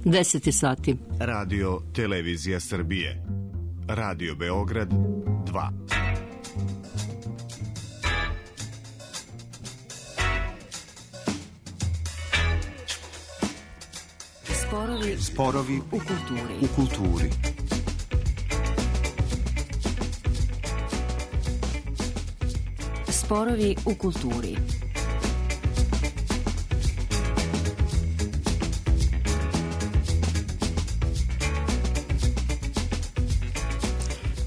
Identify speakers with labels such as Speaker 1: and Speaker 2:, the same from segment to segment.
Speaker 1: 10 sati.
Speaker 2: Radio Televizija Srbije. Radio Beograd 2.
Speaker 3: Sporovi u kulturi.
Speaker 4: Sporovi u kulturi.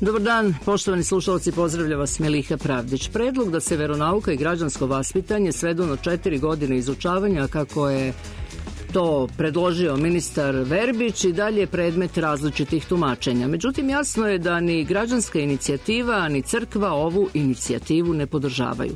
Speaker 1: Dobar dan, poštovani slušalci, pozdravlja vas Meliha Pravdić. Predlog da se veronauka i građansko vaspitanje svedu na 4 godine izučavanja, kako je to predložio ministar Verbić, i dalje je predmet različitih tumačenja. Međutim, jasno je da ni građanska inicijativa, ni crkva ovu inicijativu ne podržavaju.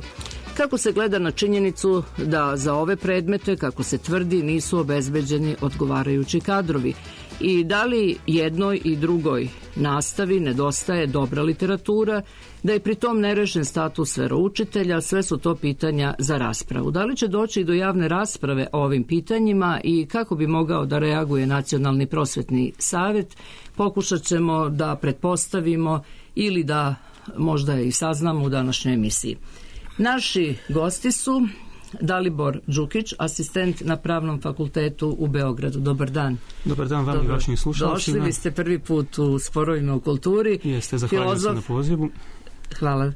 Speaker 1: Kako se gleda na činjenicu da za ove predmete, kako se tvrdi, nisu obezbeđeni odgovarajući kadrovi? I da li jednoj i drugoj nastavi nedostaje dobra literatura, da je pritom nerešen status veroučitelja? Sve su to pitanja za raspravu. Da li će doći do javne rasprave o ovim pitanjima i kako bi mogao da reaguje Nacionalni prosvetni savet? Pokušat ćemo da pretpostavimo ili da možda i saznamo u današnjoj emisiji. Naši gosti su Dalibor Đukić, asistent na Pravnom fakultetu u Beogradu. Dobar dan.
Speaker 5: Dobar dan vam i vašim slušalcima.
Speaker 1: Došli, vi ste prvi put u Sporovima u kulturi.
Speaker 5: Jeste, zahvaljujem se na pozivu.
Speaker 1: Hvala.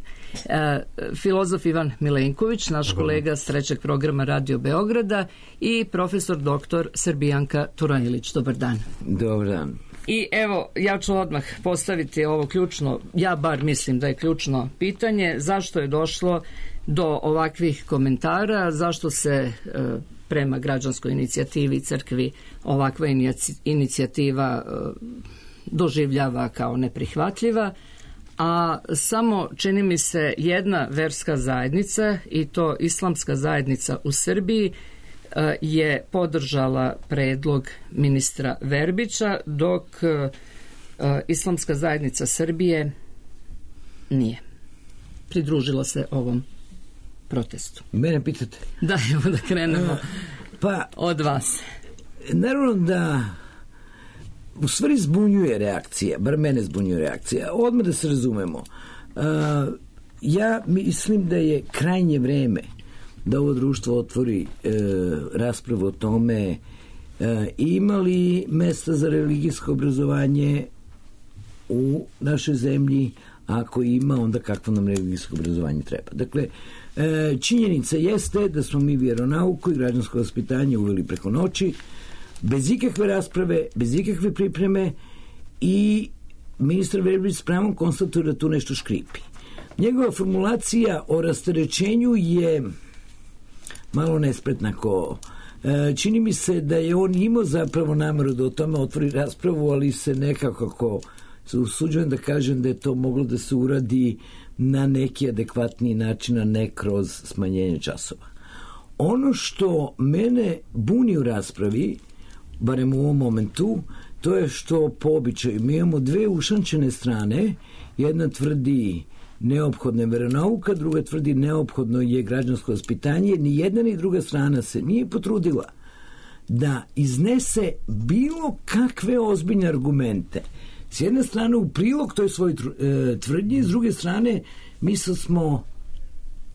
Speaker 1: Filozof Ivan Milenković, naš kolega s 3. programa Radio Beograda, i profesor doktor Srbijanka Turanjilić. Dobar dan.
Speaker 6: Dobar dan.
Speaker 1: I evo, ja ću odmah postaviti ovo ključno, ja bar mislim da je ključno pitanje, zašto je došlo do ovakvih komentara, zašto se prema građanskoj inicijativi i crkvi ovakva inicijativa doživljava kao neprihvatljiva, a samo, čini mi se, jedna verska zajednica, i to islamska zajednica u Srbiji, je podržala predlog ministra Verbića, dok islamska zajednica Srbije nije pridružila se ovom protestu.
Speaker 6: Mene pitate?
Speaker 1: Da, evo da krenemo od vas.
Speaker 6: Naravno da u stvari zbunjuje reakcija, bar mene zbunjuje reakcija. Odmah da se razumemo. Ja mislim da je krajnje vreme da ovo društvo otvori raspravu o tome ima li mesta za religijsko obrazovanje u našoj zemlji, a ako ima, onda kakvo nam religijsko obrazovanje treba. Dakle, činjenica jeste da smo mi vjeronauku i građansko vaspitanje uveli preko noći, bez ikakve rasprave, bez ikakve pripreme, i ministar Verbić s pravom konstatuje da tu nešto škripi. Njegova formulacija o rasterećenju je malo nespretna. Čini mi se da je on imao zapravo nameru da o tome otvori raspravu, ali se nekako se usuđujem da kažem da je to moglo da se uradi na neki adekvatniji način, a ne kroz smanjenje časova. Ono što mene buni u raspravi, barem u ovom momentu, to je što po običaju mi imamo dve ušančene strane. Jedna tvrdi neophodna je veronauka, druga tvrdi neophodno je građansko vaspitanje. Ni jedna ni druga strana se nije potrudila da iznese bilo kakve ozbiljne argumente. S jedne strane u prilog toj svoj tvrdnji, s druge strane mi smo,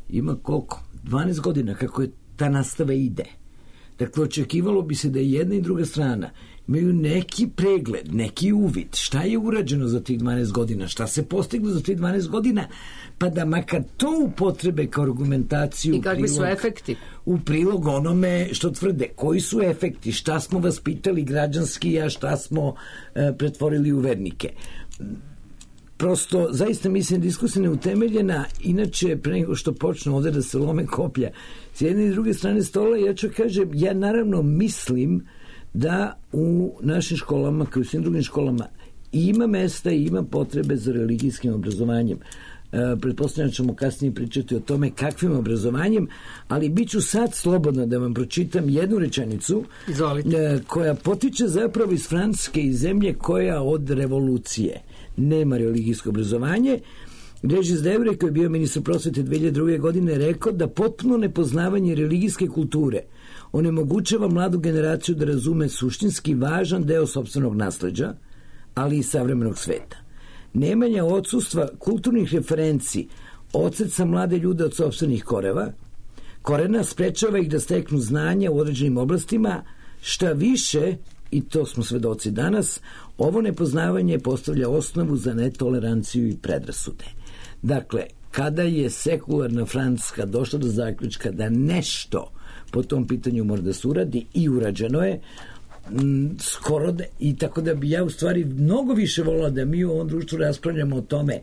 Speaker 6: ima koliko? 12 godina kako je ta nastava ide. Dakle, očekivalo bi se da je jedna i druga strana imaju neki pregled, neki uvid, šta je urađeno za tih 12 godina, šta se postiglo za tih 12 godina, pa da makar to upotrebe kao argumentaciju.
Speaker 1: I kakvi su efekti?
Speaker 6: U prilog onome što tvrde. Koji su efekti, šta smo vaspitali građanski, a šta smo pretvorili u vernike. Prosto, zaista mislim, diskusija neutemeljena. Inače, pre nego što počnu ovde da se lome koplja s jedne i druge strane stola, ja ću kažem, ja naravno mislim da u našim školama, kao i u svim drugim školama, ima mesta i ima potrebe za religijskim obrazovanjem. Pretpostavljam ćemo kasnije pričati o tome kakvim obrazovanjem, ali bit ću sad slobodna da vam pročitam jednu rečenicu. Koja potiče zapravo iz Francuske, iz zemlje koja od revolucije nema religijsko obrazovanje. Regis Debray, koji je bio ministar prosvete 2002. godine, rekao da potpuno nepoznavanje religijske kulture onemogućava mladu generaciju da razume suštinski važan deo sopstvenog nasleđa, ali i savremenog sveta. Nemanja odsustva kulturnih referenci odseca mlade ljude od sopstvenih korena sprečava ih da steknu znanja u određenim oblastima, šta više, i to smo svedoci danas, ovo nepoznavanje postavlja osnovu za netoleranciju i predrasude. Dakle, kada je sekularna Francuska došla do zaključka da nešto po tom pitanju mora da se uradi, i urađeno je, skoro da, i tako da bi ja u stvari mnogo više volila da mi u ovom društvu raspravljamo o tome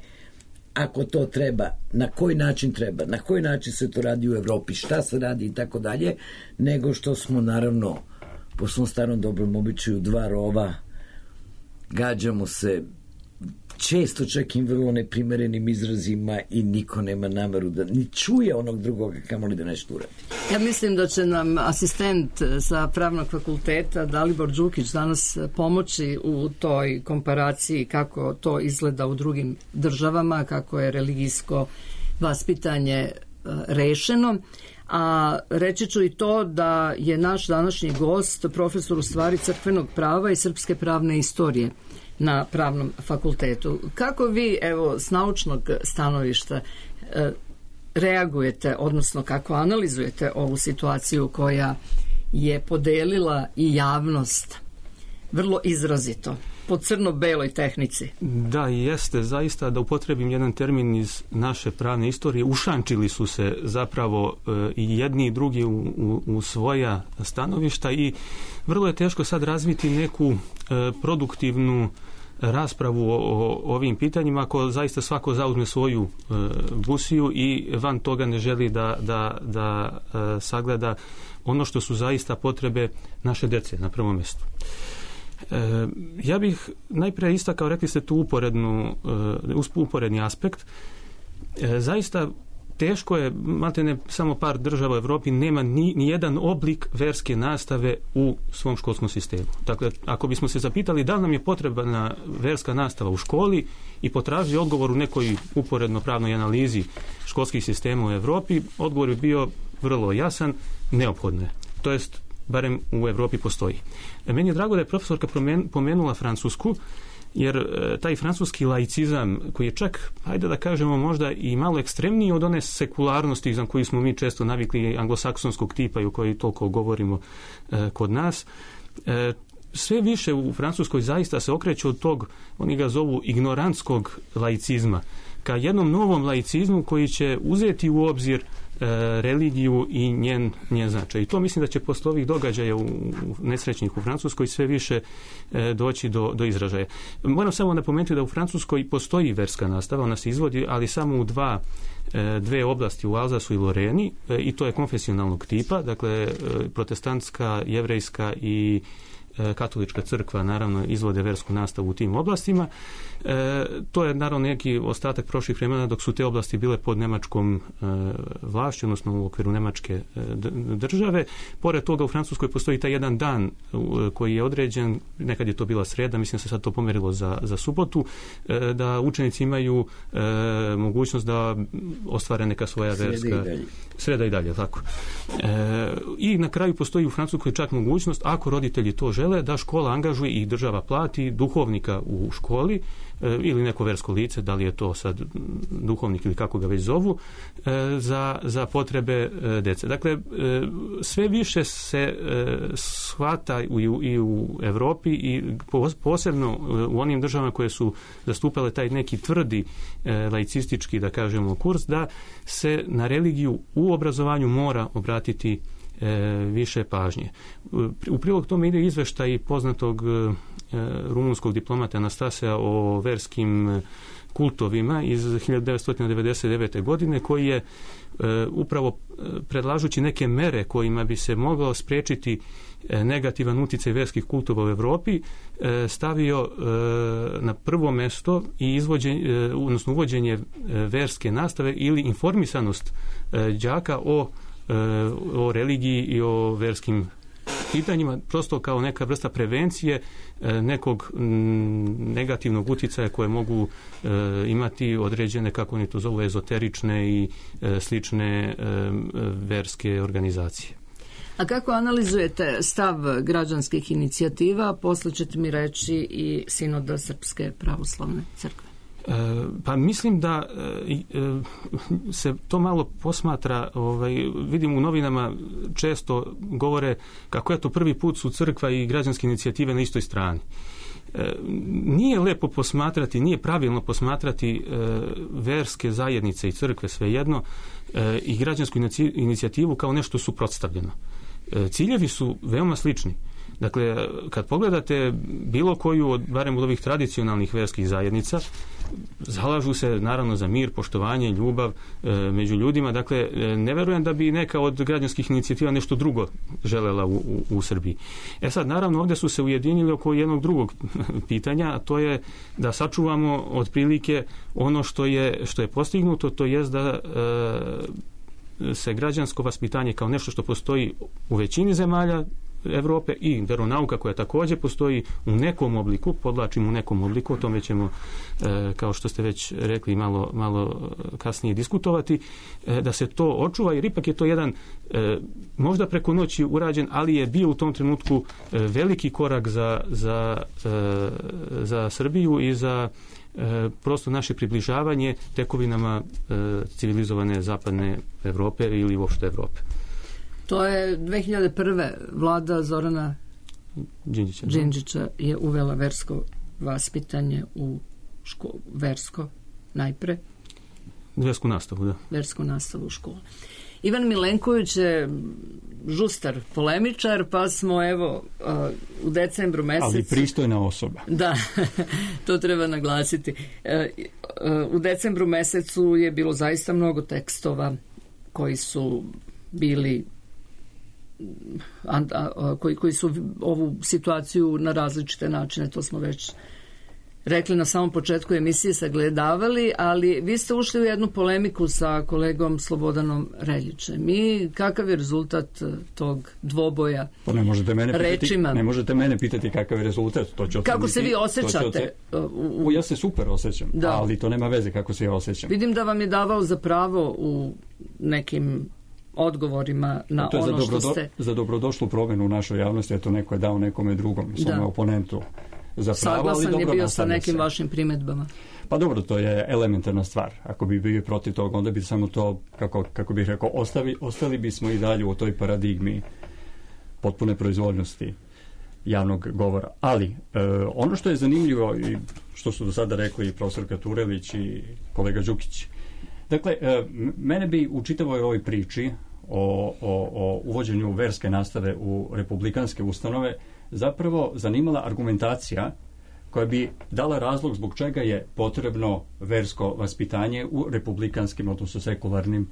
Speaker 6: ako to treba, na koji način treba, na koji način se to radi u Evropi, šta se radi i tako dalje, nego što smo naravno po svom starom dobrom običaju dva rova, gađamo se često čak i vrlo neprimerenim izrazima i niko nema nameru da ni čuje onog drugoga kamoli da nešto uradi.
Speaker 1: Ja mislim da će nam asistent sa Pravnog fakulteta Dalibor Đukić danas pomoći u toj komparaciji kako to izgleda u drugim državama, kako je religijsko vaspitanje rešeno. A reći ću i to da je naš današnji gost profesor u stvari crkvenog prava i srpske pravne istorije na Pravnom fakultetu. Kako vi, evo, s naučnog stanovišta reagujete, odnosno kako analizujete ovu situaciju koja je podelila i javnost vrlo izrazito po crno-beloj tehnici?
Speaker 5: Da, jeste, zaista, da upotrebim jedan termin iz naše pravne istorije, ušančili su se zapravo i jedni i drugi u svoja stanovišta i vrlo je teško sad razviti neku produktivnu raspravu o ovim pitanjima ako zaista svako zauzme svoju busiju i van toga ne želi da sagleda ono što su zaista potrebe naše dece na prvom mjestu. Ja bih najprije istakao, rekli ste tu uporedni aspekt. Zaista teško je, maltene samo par država u Evropi nema ni jedan oblik verske nastave u svom školskom sistemu. Dakle, ako bismo se zapitali da li nam je potrebna verska nastava u školi i potražili odgovor u nekoj uporedno pravnoj analizi školskih sistema u Evropi, odgovor je bio vrlo jasan, neophodno je. To jest, barem u Evropi postoji. Meni je drago da je profesorka pomenula Francusku, jer taj francuski laicizam koji je čak, hajde da kažemo, možda i malo ekstremniji od one sekularnosti za koju smo mi često navikli anglosaksonskog tipa i o kojoj toliko govorimo kod nas, sve više u Francuskoj zaista se okreće od tog, oni ga zovu ignorantskog laicizma, ka jednom novom laicizmu koji će uzeti u obzir religiju i njen značaj. I to mislim da će posle ovih događaja nesrećnih u Francuskoj sve više doći do izražaja. Moram samo napomenuti da u Francuskoj postoji verska nastava, ona se izvodi, ali samo u dve oblasti, u Alzasu i Loreni, i to je konfesionalnog tipa, dakle protestantska, jevrejska i katolička crkva naravno izvode versku nastavu u tim oblastima. To je naravno neki ostatak prošlih vremena dok su te oblasti bile pod nemačkom vlašću, odnosno u okviru nemačke države. Pored toga u Francuskoj postoji taj jedan dan koji je određen, nekad je to bila sreda, mislim da se sad to pomerilo za subotu, da učenici imaju mogućnost da ostvare neka svoja verska sreda i dalje, tako. I na kraju postoji u Francuskoj čak mogućnost, ako roditelji to žele, da škola angažuje i država plati duhovnika u školi ili neko versko lice, da li je to sad duhovnik ili kako ga već zovu, za potrebe dece. Dakle, sve više se shvata i u Evropi i posebno u onim državama koje su zastupale taj neki tvrdi laicistički, da kažemo, kurs, da se na religiju u obrazovanju mora obratiti više pažnje. U prilog tome ide izveštaj poznatog rumunskog diplomata Anastasija o verskim kultovima iz 1999. godine, koji je upravo predlažući neke mere kojima bi se moglo spriječiti negativan utjecaj verskih kultova u Evropi, stavio na prvo mesto i odnosno uvođenje verske nastave ili informisanost đaka o religiji i o verskim pitanjima, prosto kao neka vrsta prevencije nekog negativnog utjecaja koje mogu imati određene, kako oni to zovu, ezoterične i slične verske organizacije.
Speaker 1: A kako analizujete stav građanskih inicijativa? Posle ćete mi reći i Sinoda Srpske pravoslavne crkve.
Speaker 5: Pa mislim da se to malo posmatra, vidim u novinama često govore kako je to prvi put su crkva i građanske inicijative na istoj strani. Nije lepo posmatrati, nije pravilno posmatrati verske zajednice i crkve svejedno i građansku inicijativu kao nešto suprotstavljeno. Ciljevi su veoma slični. Dakle, kad pogledate bilo koju od, barem od ovih tradicionalnih verskih zajednica, zalažu se naravno za mir, poštovanje, ljubav među ljudima. Dakle, ne verujem da bi neka od građanskih inicijativa nešto drugo želela u Srbiji. Sad, naravno, ovdje su se ujedinili oko jednog drugog pitanja, a to je da sačuvamo otprilike ono što je postignuto, to jest da se građansko vaspitanje kao nešto što postoji u većini zemalja Evrope i veronauka koja također postoji u nekom obliku, podlačim u nekom obliku, o tome ćemo, kao što ste već rekli, malo kasnije diskutovati, da se to očuva, jer ipak je to jedan možda preko noći urađen, ali je bio u tom trenutku veliki korak za Srbiju i za prosto naše približavanje tekovinama civilizovane zapadne Evrope ili uopšte Evrope.
Speaker 1: To je 2001. vlada Zorana Đinđića je uvela versko vaspitanje u versko najpre.
Speaker 5: Versku nastavu, da.
Speaker 1: Versku nastavu u školi. Ivan Milenković je žustar polemičar, pa smo evo u decembru mesecu...
Speaker 4: Ali pristojna osoba.
Speaker 1: Da, to treba naglasiti. U decembru mesecu je bilo zaista mnogo tekstova koji su bili koji su ovu situaciju na različite načine, to smo već rekli na samom početku emisije, sagledavali, ali vi ste ušli u jednu polemiku sa kolegom Slobodanom Reljićem. I kakav je rezultat tog dvoboja rečima?
Speaker 4: Ne možete mene pitati kakav je rezultat.
Speaker 1: Kako se vi osjećate?
Speaker 4: Ja se super osjećam, ali to nema veze kako se ja osjećam.
Speaker 1: Vidim da vam je davao za pravo u nekim odgovorima na ono što ste...
Speaker 4: Za dobrodošlu promjenu u našoj javnosti, eto neko je dao nekome drugom, svome oponentu za pravo,
Speaker 1: saglasan
Speaker 4: ali
Speaker 1: je
Speaker 4: dobro,
Speaker 1: bio sa nekim
Speaker 4: se.
Speaker 1: Vašim primjedbama.
Speaker 4: Pa dobro, to je elementarna stvar. Ako bi bio protiv toga, onda bi samo to, kako bih rekao, ostali bismo i dalje u toj paradigmi potpune proizvoljnosti javnog govora. Ali, ono što je zanimljivo i što su do sada rekli i profesorka Turelić i kolega Đukić, dakle, mene bi u čitavoj ovoj priči o uvođenju verske nastave u republikanske ustanove zapravo zanimala argumentacija koja bi dala razlog zbog čega je potrebno versko vaspitanje u republikanskim, odnosno sekularnim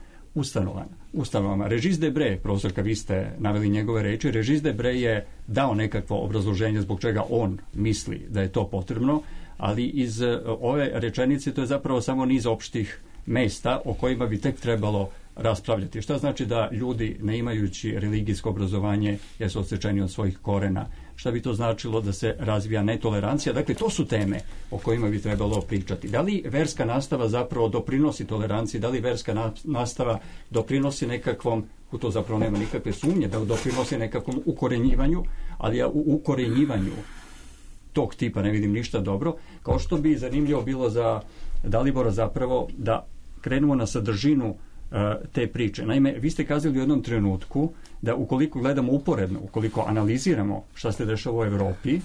Speaker 4: ustanovama. Regis Debray, profesorka, vi ste naveli njegove reči, Regis Debray je dao nekakvo obrazloženje zbog čega on misli da je to potrebno, ali iz ove rečenice to je zapravo samo niz opštih mesta o kojima bi tek trebalo raspravljati. Šta znači da ljudi, ne imajući religijsko obrazovanje, jesu odsečeni od svojih korena? Šta bi to značilo da se razvija netolerancija? Dakle, to su teme o kojima bi trebalo pričati. Da li verska nastava zapravo doprinosi toleranciji? Da li verska nastava doprinosi nekakvom, u to zapravo nema nikakve sumnje, da doprinosi nekakvom ukorenjivanju, ali ja u ukorenjivanju tog tipa ne vidim ništa dobro, kao što bi zanimljivo bilo za Dalibora zapravo da krenemo na sadržinu te priče. Naime, vi ste kazali u jednom trenutku da ukoliko gledamo uporedno, ukoliko analiziramo šta se dešava u Evropi,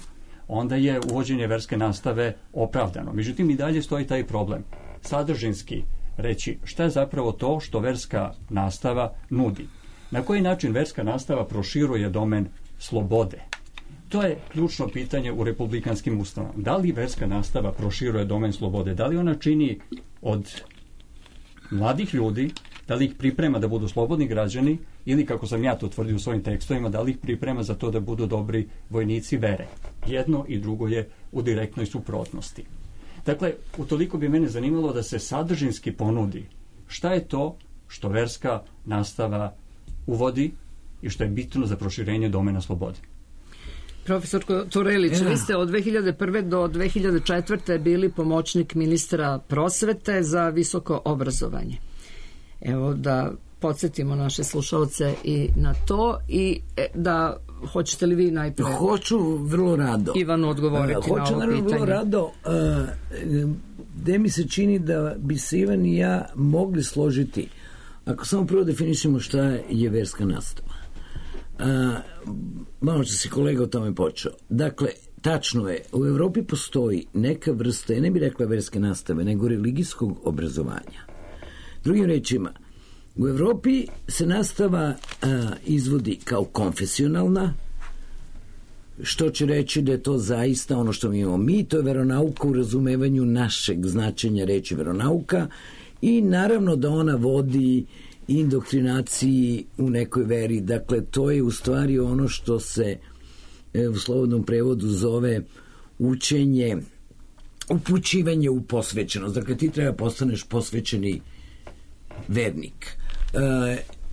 Speaker 4: onda je uvođenje verske nastave opravdano. Međutim, i dalje stoji taj problem. Sadržinski reći šta je zapravo to što verska nastava nudi. Na koji način verska nastava proširuje domen slobode? To je ključno pitanje u republikanskim ustanovama. Da li verska nastava proširuje domen slobode? Da li ona čini od mladih ljudi, da li ih priprema da budu slobodni građani ili, kako sam ja to tvrdio u svojim tekstovima, da li ih priprema za to da budu dobri vojnici vere? Jedno i drugo je u direktnoj suprotnosti. Dakle, utoliko bi mene zanimalo da se sadržinski ponudi šta je to što verska nastava uvodi i što je bitno za proširenje domena slobode.
Speaker 1: Profesor Turelić, vi ste od 2001. do 2004. bili pomoćnik ministra prosvete za visoko obrazovanje. Evo da podsjetimo naše slušalce i na to i da hoćete li vi najprije?
Speaker 6: Hoću vrlo rado.
Speaker 1: Ivanu odgovoriti na ovo pitanje.
Speaker 6: Vrlo rado. Gde mi se čini da bi se Ivan i ja mogli složiti, ako samo prvo definišemo šta je verska nastava. Malo će se kolega o tome počeo. Dakle, tačno je, u Evropi postoji neka vrsta, ja ne bih rekla verske nastave, nego religijskog obrazovanja. Drugim rečima, u Evropi se nastava izvodi kao konfesionalna, što će reći da je to zaista ono što mi imamo mi, to je veronauka u razumevanju našeg značenja reči veronauka i naravno da ona vodi indoktrinaciji u nekoj veri. Dakle, to je u stvari ono što se u slobodnom prevodu zove učenje, upućivanje u posvećenost. Dakle, ti treba postaneš posvećeni vernik.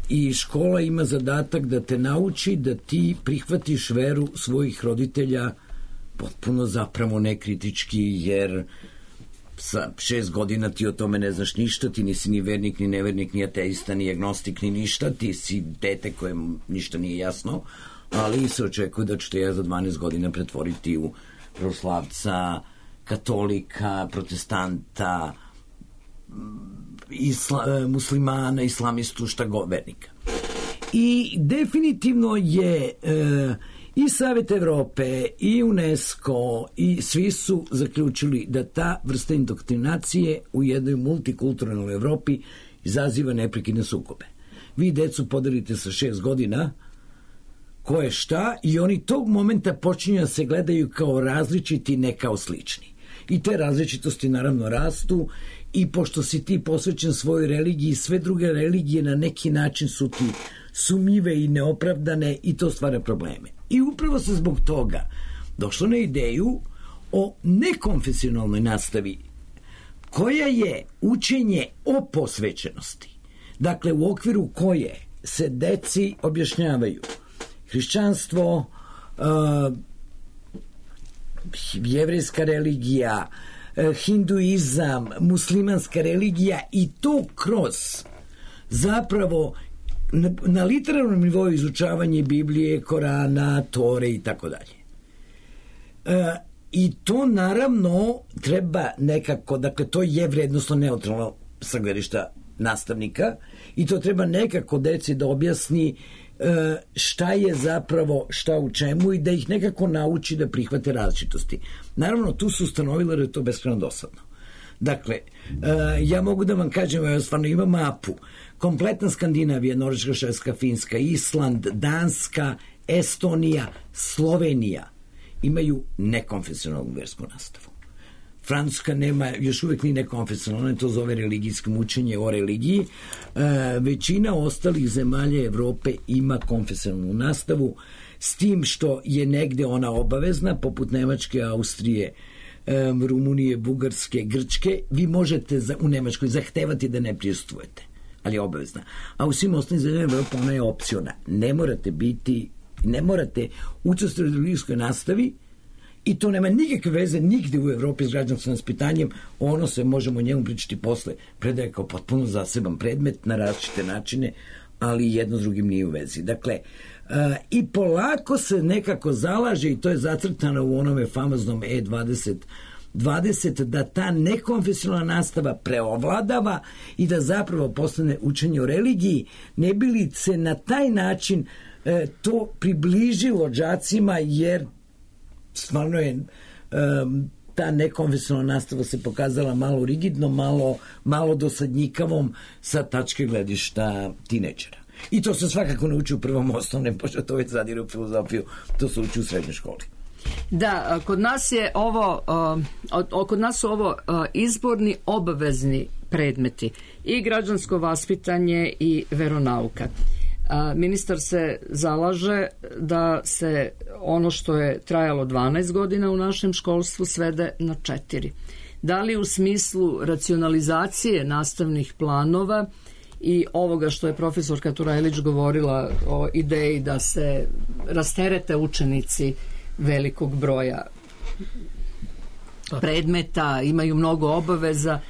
Speaker 6: I škola ima zadatak da te nauči da ti prihvatiš veru svojih roditelja potpuno zapravo nekritički, jer sa 6 godina ti o tome ne znaš ništa, ti nisi ni vernik, ni nevernik, ni ateista, ni agnostik, ni ništa, ti si dete kojem ništa nije jasno, ali se očekuje da ću te ja za 12 godina pretvoriti u pravoslavca, katolika, protestanta, muslimana, islamistu, šta god, vernika. I definitivno je i Savet Evrope i UNESCO i svi su zaključili da ta vrsta indoktrinacije u jednoj multikulturnalnoj Evropi izaziva neprekidne sukobe. Vi decu podelite sa 6 godina ko je šta i oni tog momenta počinju da se gledaju kao različiti, ne kao slični. I te različitosti naravno rastu i pošto si ti posvećen svojoj religiji, sve druge religije na neki način su ti sumnjive i neopravdane i to stvara probleme. I upravo se zbog toga došlo na ideju o nekonfesionalnoj nastavi koja je učenje o posvećenosti. Dakle, u okviru koje se deci objašnjavaju hrišćanstvo, jevrejska religija, hinduizam, muslimanska religija i to kroz zapravo na literarnom nivou izučavanje Biblije, Korana, Tore i tako dalje. I to naravno treba nekako, dakle to je vrednostno neutralno sa gledišta nastavnika i to treba nekako deci da objasni šta je zapravo šta u čemu i da ih nekako nauči da prihvate različitosti. Naravno, tu su ustanovili da je to beskrajno dosadno. Dakle, ja mogu da vam kažem, ja stvarno imam mapu, kompletna Skandinavija, Norveška, Švedska, Finska, Island, Danska, Estonija, Slovenija imaju nekonfesionalnu versku nastavu. Francuska nema, još uvijek ni nekonfesionalno, ona to zove religijskim učenje o religiji. Većina ostalih zemalja Evrope ima konfesionalnu nastavu, s tim što je negde ona obavezna, poput Nemačke, Austrije, Rumunije, Bugarske, Grčke. Vi možete u Nemačkoj zahtevati da ne prisustvujete, ali je obavezna. A u svim ostalim zemljama Evrope ona je opciona. Ne morate učestvovati u religijskoj nastavi. I to nema nikakve veze nigde u Evropi s građanskim vaspitanjem, ono se možemo o njemu pričati posle, predaje kao potpuno zaseban predmet na različite načine, ali jedno s drugim nije u vezi. Dakle, i polako se nekako zalaže, i to je zacrtano u onome famoznom E2020, da ta nekonfesionalna nastava preovladava i da zapravo postane učenje o religiji, ne bi li se na taj način to približilo đacima, jer stvarno je ta nekonvencionalna nastava se pokazala malo rigidno, malo dosadnjikavom sa tačke gledišta tineđera. I to se svakako ne uči u prvom osnovnem, pošto to već zadire u filozofiju, to se uči u srednjoj školi.
Speaker 1: Da, kod nas je su ovo izborni obavezni predmeti i građansko vaspitanje i veronauka. Ministar se zalaže da se ono što je trajalo 12 godina u našem školstvu svede na 4. Da li u smislu racionalizacije nastavnih planova i ovoga što je profesorka Turajlić govorila o ideji da se rasterete učenici velikog broja predmeta, imaju mnogo obaveza,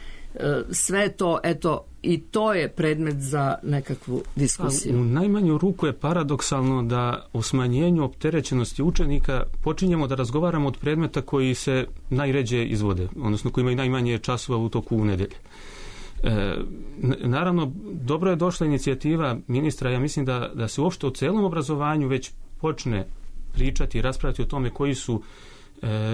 Speaker 1: sve to, eto, i to je predmet za nekakvu diskusiju.
Speaker 5: U najmanju ruku je paradoksalno da o smanjenju opterećenosti učenika počinjemo da razgovaramo od predmeta koji se najređe izvode, odnosno koji imaju najmanje časova u toku nedelje. Naravno, dobro je došla inicijativa ministra, ja mislim da se uopšte o celom obrazovanju već počne pričati i raspravljati o tome koji su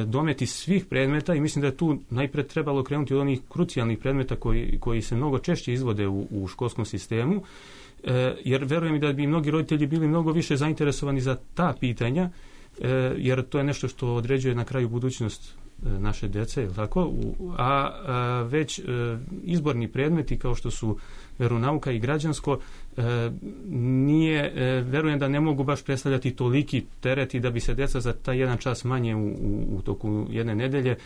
Speaker 5: dometi svih predmeta i mislim da je tu najpre trebalo krenuti od onih krucijalnih predmeta koji se mnogo češće izvode u školskom sistemu, jer verujem da bi mnogi roditelji bili mnogo više zainteresovani za ta pitanja, jer to je nešto što određuje na kraju budućnost naše dece, je tako? A već izborni predmeti kao što su veronauka i građansko verujem da ne mogu baš predstavljati toliki tereti da bi se deca za taj jedan čas manje u toku jedne nedelje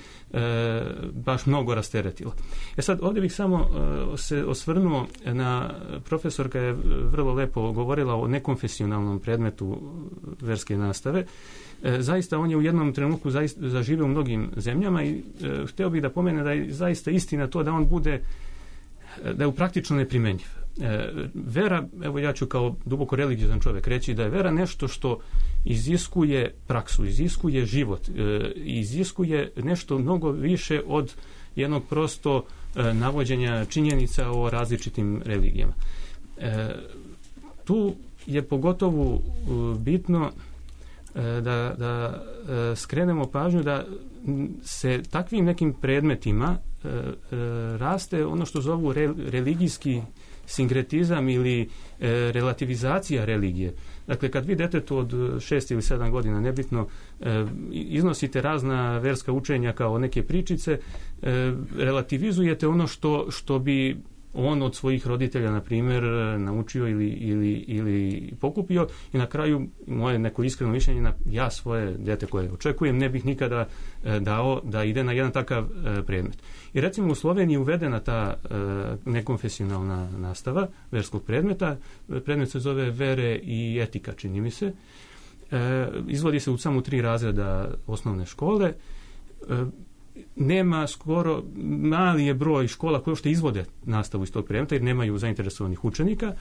Speaker 5: baš mnogo rasteretila. Sad, ovdje bih samo se osvrnuo na profesorka je vrlo lepo govorila o nekonfesionalnom predmetu verske nastave. Zaista on je u jednom trenutku zaživio u mnogim zemljama i htio bih da pomene da je zaista istina to da on bude, da je praktično neprimenjiv. Vera, evo ja ću kao duboko religiozan čovjek reći da je vera nešto što iziskuje praksu, iziskuje život, iziskuje nešto mnogo više od jednog prosto navođenja činjenica o različitim religijama. Tu je pogotovo bitno da skrenemo pažnju da se takvim nekim predmetima raste ono što zovu religijski sinkretizam ili relativizacija religije. Dakle, kad vi detetu od 6 ili 7 godina, nebitno, iznosite razna verska učenja kao neke pričice, relativizujete ono što bi on od svojih roditelja, na primjer, naučio ili pokupio i na kraju, moje neko iskreno mišljenje, ja svoje dete koje očekujem ne bih nikada dao da ide na jedan takav predmet. I recimo u Sloveniji je uvedena ta nekonfesionalna nastava verskog predmeta. Predmet se zove vere i etika, čini mi se. Izvodi se u samo 3 razreda osnovne škole. Nema skoro, mali je broj škola koje uopšte izvode nastavu iz tog predmeta jer nemaju zainteresovanih učenika.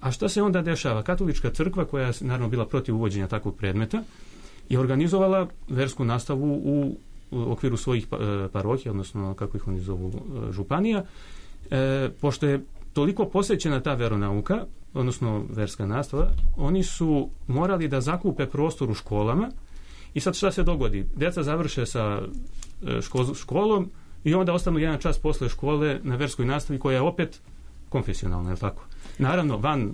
Speaker 5: A šta se onda dešava? Katolička crkva, koja je naravno bila protiv uvođenja takvog predmeta, je organizovala versku nastavu u okviru svojih parohija, odnosno kako ih oni zovu županija. Pošto je toliko posvećena ta veronauka, odnosno verska nastava, oni su morali da zakupe prostor u školama i sad šta se dogodi? Deca završe sa školom i onda ostanu jedan čas posle škole na verskoj nastavi koja je opet konfesionalna, je li tako? Naravno, van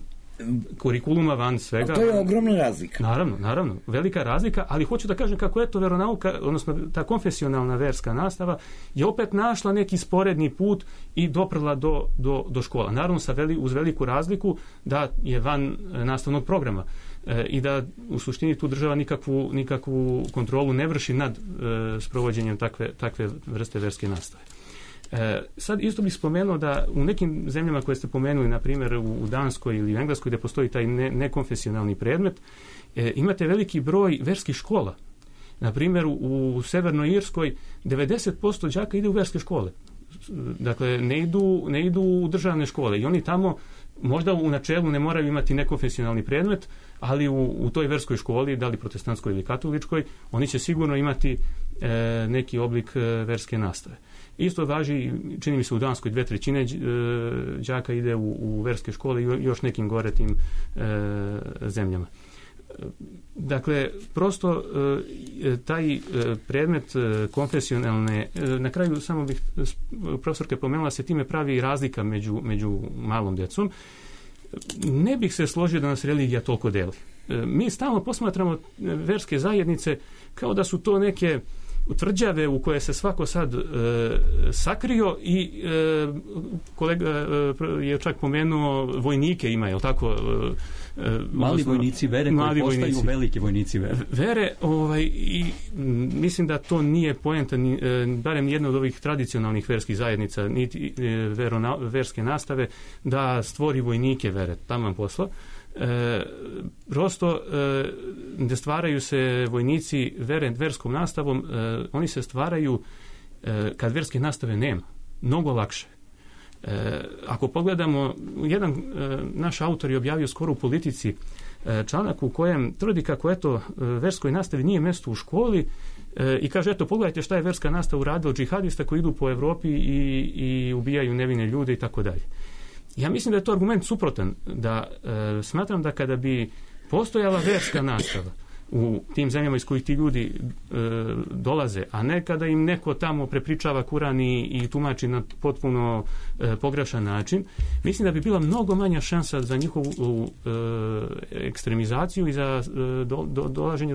Speaker 5: kurikuluma, van svega.
Speaker 6: A to je ogromna razlika.
Speaker 5: Naravno, velika razlika, ali hoću da kažem kako je to veronauka, odnosno ta konfesionalna verska nastava je opet našla neki sporedni put i doprla do škola. Naravno, uz veliku razliku da je van nastavnog programa i da u suštini tu država nikakvu kontrolu ne vrši nad sprovođenjem takve vrste verske nastave. Sad isto bih spomenuo da u nekim zemljama koje ste pomenuli, na primjer u Danskoj ili u Engleskoj gdje postoji taj nekonfesionalni predmet, imate veliki broj verskih škola. Na primjer u Severnoj Irskoj 90% đaka ide u verske škole. Dakle, ne idu u državne škole i oni tamo možda u načelu ne moraju imati nekonfesionalni predmet, ali u toj verskoj školi, da li protestantskoj ili katoličkoj, oni će sigurno imati neki oblik verske nastave. Isto važi, čini mi se u Danskoj 2/3 đaka ide u verske škole i još nekim gore tim zemljama. Dakle, prosto taj predmet konfesionalne, na kraju samo bih, profesorka pomenula, se time pravi razlika među malom djecom. Ne bih se složio da nas religija toliko deli. Mi stalno posmatramo verske zajednice kao da su to neke tvrđave u koje se svako sad sakrio i kolega je čak pomenuo vojnike ima, je li tako?
Speaker 4: Mali vojnici vere koji postaju veliki vojnici vere.
Speaker 5: I mislim da to nije poenta, barem jedna od ovih tradicionalnih verskih zajednica, niti verske nastave, da stvori vojnike vere, taman posla. Prosto ne stvaraju se vojnici verskom nastavom, oni se stvaraju kad verske nastave nema, mnogo lakše. Ako pogledamo, jedan naš autor je objavio skoro u Politici članak u kojem tvrdi kako verskoj nastavi nije mjesto u školi i kaže, pogledajte šta je verska nastava uradila džihadista koji idu po Evropi i ubijaju nevine ljude i tako dalje. Ja mislim da je to argument suprotan, da smatram da kada bi postojala verska nastava u tim zemljama iz kojih ti ljudi dolaze, a ne kada im neko tamo prepričava Kuran i tumači na potpuno pogrešan način, mislim da bi bila mnogo manja šansa za njihovu ekstremizaciju i za dolaženje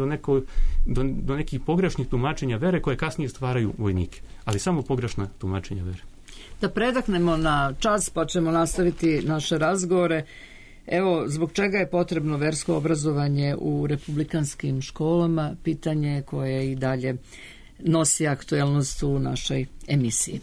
Speaker 5: do nekih pogrešnih tumačenja vere koje kasnije stvaraju vojnike, ali samo pogrešna tumačenja vere.
Speaker 1: Da predahnemo na čas, pa ćemo nastaviti naše razgovore. Evo, zbog čega je potrebno versko obrazovanje u republikanskim školama, pitanje koje i dalje nosi aktuelnost u našoj emisiji.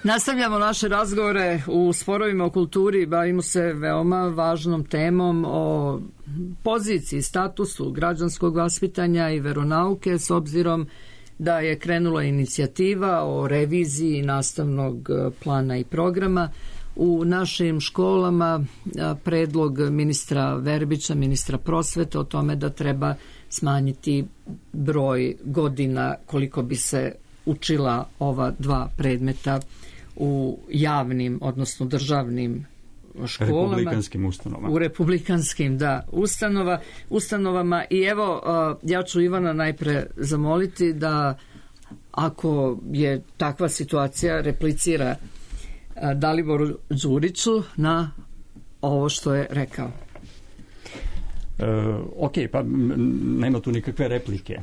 Speaker 1: Nastavljamo naše razgovore u Sporovima o kulturi, bavimo se veoma važnom temom o poziciji, statusu građanskog vaspitanja i veronauke, s obzirom da je krenula inicijativa o reviziji nastavnog plana i programa. u našim školama predlog ministra Verbića, ministra prosvete, o tome da treba smanjiti broj godina koliko bi se učila ova dva predmeta u javnim, odnosno državnim školama.
Speaker 4: Republikanskim ustanovama.
Speaker 1: U republikanskim, ustanovama. I evo, ja ću Ivana najpre zamoliti da, ako je takva situacija, replicira Daliboru Đuriću na ovo što je rekao.
Speaker 4: Ok, pa nema tu nikakve replike.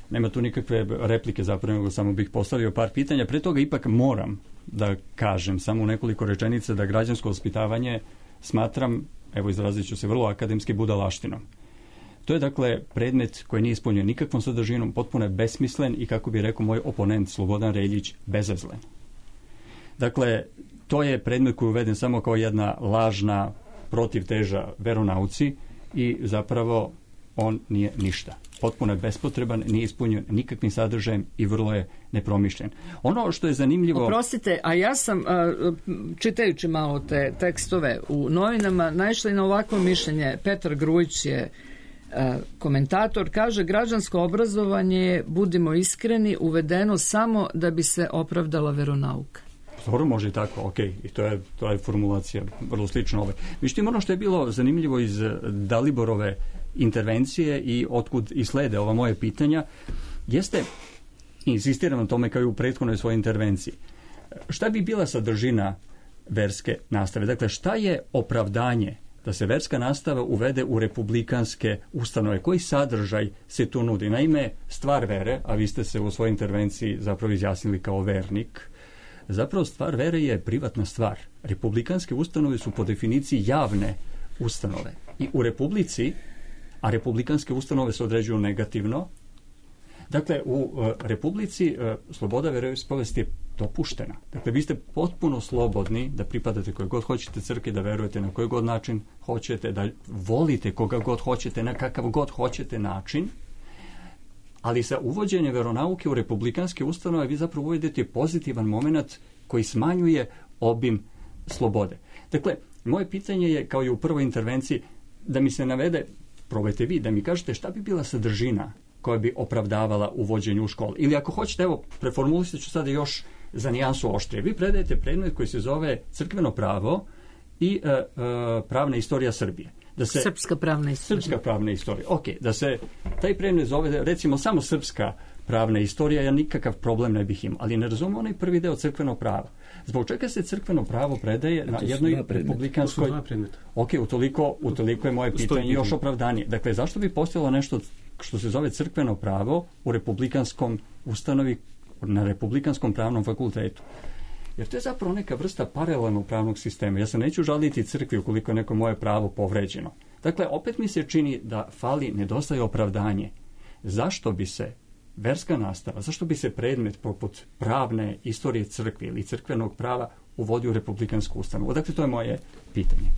Speaker 4: Nema tu nikakve replike, zapravo, nego samo bih postavio par pitanja. Pre toga ipak moram da kažem samo u nekoliko rečenica da građansko vaspitavanje smatram, evo izrazit ću se vrlo akademski, budalaštinom. To je dakle predmet koji nije ispunjen nikakvom sadržinom, potpuno je besmislen i, kako bi rekao moj oponent Slobodan Reljić, bezazlen. Dakle, to je predmet koji je uveden samo kao jedna lažna protivteža veronauci i zapravo on nije ništa. Potpuno je bespotreban, nije ispunjen nikakvim sadržajem i vrlo je nepromišljen. Ono što je zanimljivo...
Speaker 1: Oprostite, a ja sam, čitajući malo te tekstove u novinama, naišla i na ovakvo mišljenje. Petar Grujić je komentator, kaže: građansko obrazovanje je, budimo iskreni, uvedeno samo da bi se opravdala veronauka.
Speaker 4: Dobro, može i tako, ok, i to je formulacija vrlo slična ovoj. Međutim, ono što je bilo zanimljivo iz Daliborove intervencije i otkud i slede ova moje pitanja, jeste, insistiram na tome kao i u prethodnoj svojoj intervenciji, šta bi bila sadržina verske nastave? Dakle, šta je opravdanje da se verska nastava uvede u republikanske ustanove? Koji sadržaj se tu nudi? Naime, stvar vere, a vi ste se u svojoj intervenciji zapravo izjasnili kao vernik, zapravo stvar vere je privatna stvar. Republikanske ustanove su po definiciji javne ustanove. I u Republici, a republikanske ustanove se određuju negativno, dakle, u Republici sloboda veroispovesti je dopuštena. Dakle, vi ste potpuno slobodni da pripadate koje god hoćete crkvi, da verujete na koji god način hoćete, da volite koga god hoćete, na kakav god hoćete način, ali sa uvođenjem veronauke u republikanske ustanove vi zapravo uvedete pozitivan moment koji smanjuje obim slobode. Dakle, moje pitanje je, kao i u prvoj intervenciji, da mi se navede, probajte vi, da mi kažete šta bi bila sadržina koja bi opravdavala uvođenje u školu. Ili ako hoćete, evo, preformulisat ću sada još za nijansu oštrije. Vi predajete predmet koji se zove crkveno pravo i pravna istorija Srbije.
Speaker 1: Srpska pravna istorija.
Speaker 4: Srpska pravna istorija. Ok, da se taj predmet zove, recimo, samo srpska pravna istorija, ja nikakav problem ne bih imao. Ali ne razumijem onaj prvi deo crkveno prava. Zbog čega se crkveno pravo predaje na jednoj republikanskoj... Ok, utoliko je moje pitanje još opravdanje. Dakle, zašto bi postojalo nešto što se zove crkveno pravo u republikanskom ustanovi, na republikanskom pravnom fakultetu? Jer to je zapravo neka vrsta paralelnog pravnog sistema. Ja se neću žaliti crkvi ukoliko je neko moje pravo povređeno. Dakle, opet mi se čini da nedostaje opravdanje. Zašto bi se verska nastava, zašto bi se predmet poput pravne istorije crkve ili crkvenog prava uvodio u republikansku ustanovu? Dakle, to je moje pitanje.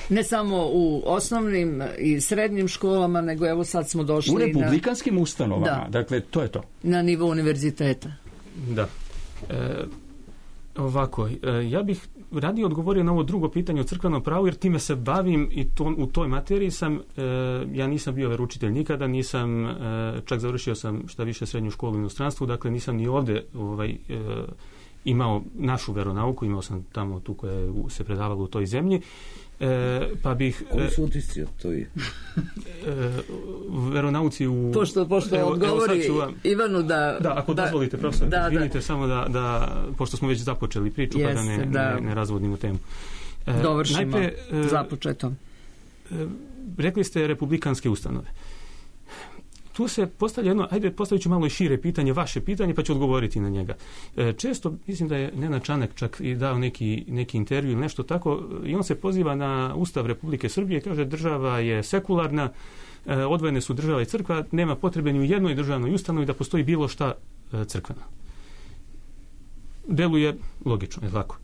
Speaker 1: Ne samo u osnovnim i srednjim školama, nego evo sad smo došli
Speaker 4: u republikanskim ustanovama. Dakle, to je to.
Speaker 1: Na nivou univerziteta.
Speaker 5: Da. Ovako, ja bih radije odgovorio na ovo drugo pitanje o crkvenom pravu, jer time se bavim i u toj materiji sam, ja nisam bio veroučitelj nikada, nisam, čak završio sam šta više srednju školu u inostranstvu, dakle nisam ni ovdje imao našu veronauku, imao sam tamo tu koja je se predavala u toj zemlji, pa bih...
Speaker 6: Koji su utisci od toj?
Speaker 5: Veronauci u...
Speaker 1: Pošto odgovori Ivanu da...
Speaker 5: Da, ako dozvolite, profesor, vidite samo da, pošto smo već započeli priču, pa da ne razvodnimo temu.
Speaker 1: Dovršimo započeto.
Speaker 5: Rekli ste republikanske ustanove. Tu se postavlja jedno, postavit ću malo i šire pitanje, vaše pitanje, pa ću odgovoriti na njega. Često, mislim da je Nenad Čanak čak i dao neki intervju ili nešto tako, i on se poziva na Ustav Republike Srbije i kaže država je sekularna, odvojene su država i crkva, nema potrebe ni u jednoj državnoj ustanovi da postoji bilo šta crkveno. Deluje logično, je tako.